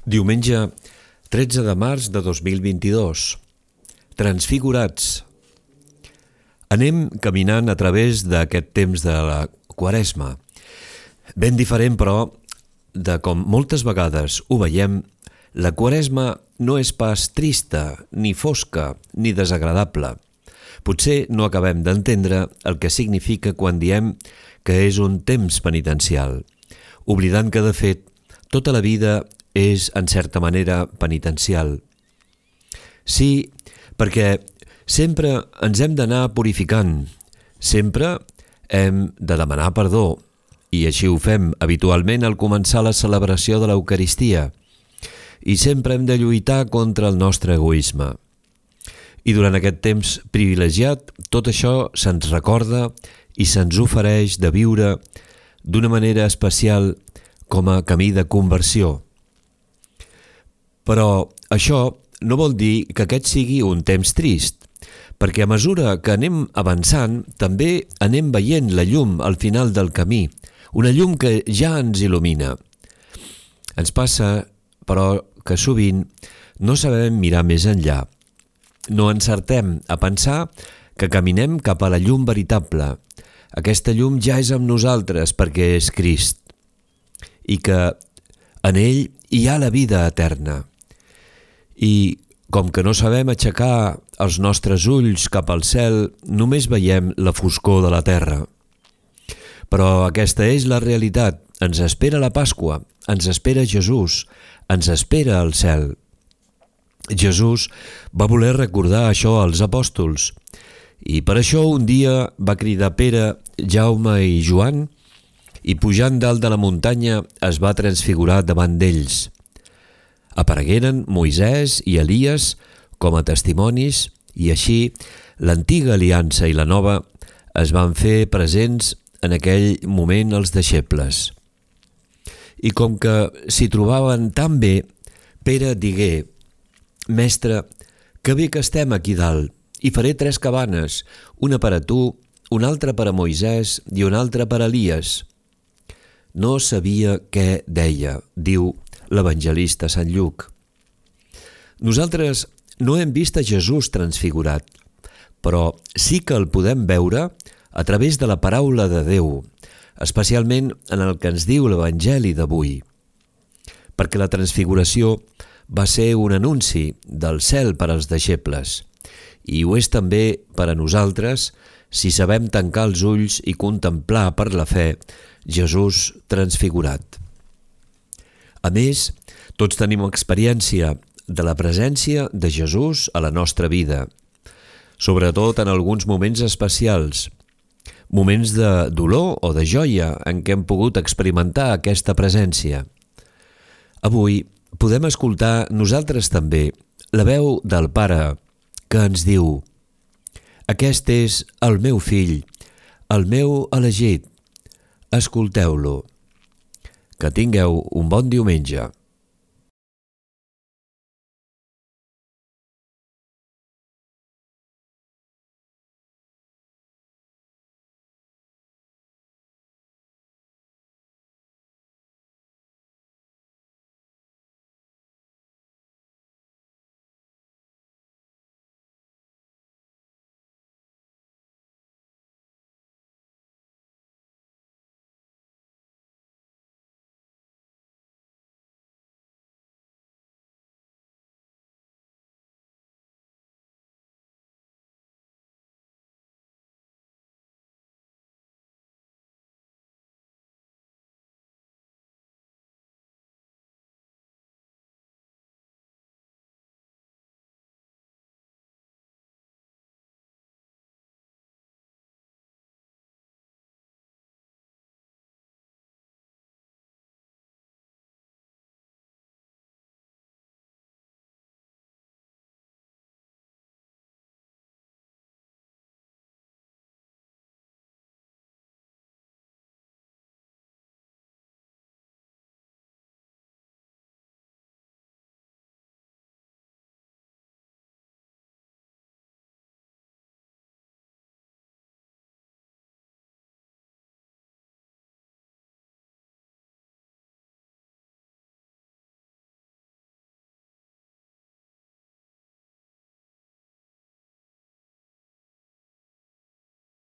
Diumenge 13 de març de 2022. Transfigurats. Anem caminant a través d'aquest temps de la Quaresma. Ben diferent, però, de com moltes vegades ho veiem, la Quaresma no és pas trista, ni fosca, ni desagradable. Potser no acabem d'entendre el que significa quan diem que és un temps penitencial, oblidant que, de fet, tota la vida és, en certa manera, penitencial. Sí, perquè sempre ens hem d'anar purificant, sempre hem de demanar perdó, i així ho fem habitualment al començar la celebració de l'Eucaristia, i sempre hem de lluitar contra el nostre egoisme. I durant aquest temps privilegiat, tot això se'ns recorda i se'ns ofereix de viure d'una manera especial com a camí de conversió. Però això no vol dir que aquest sigui un temps trist, perquè a mesura que anem avançant també anem veient la llum al final del camí, una llum que ja ens il·lumina. Ens passa, però, que sovint no sabem mirar més enllà. No encertem a pensar que caminem cap a la llum veritable. Aquesta llum ja és amb nosaltres perquè és Crist i que en ell hi ha la vida eterna. I com que no sabem aixecar els nostres ulls cap al cel, només veiem la foscor de la terra. Però aquesta és la realitat. Ens espera la Pasqua, ens espera Jesús, ens espera el cel. Jesús va voler recordar això als apòstols i per això un dia va cridar Pere, Jaume i Joan i pujant dalt de la muntanya es va transfigurar davant d'ells. Aparegueren Moisès i Elies com a testimonis i així l'antiga aliança i la nova es van fer presents en aquell moment als deixebles. I com que s'hi trobaven tan bé, Pere digué: «Mestre, que bé que estem aquí dalt, i faré 3 cabanes, una per a tu, una altra per a Moisès i una altra per a Elies». No sabia què deia, diu l'evangelista Sant Lluc. Nosaltres no hem vist a Jesús transfigurat, però sí que el podem veure a través de la paraula de Déu, especialment en el que ens diu l'Evangeli d'avui. Perquè la transfiguració va ser un anunci del cel per als deixebles, i ho és també per a nosaltres si sabem tancar els ulls i contemplar per la fe Jesús transfigurat. A més, tots tenim experiència de la presència de Jesús a la nostra vida, sobretot en alguns moments especials, moments de dolor o de joia en què hem pogut experimentar aquesta presència. Avui podem escoltar nosaltres també la veu del Pare que ens diu: «Aquest és el meu fill, el meu elegit, escolteu-lo». Que tingueu un bon diumenge.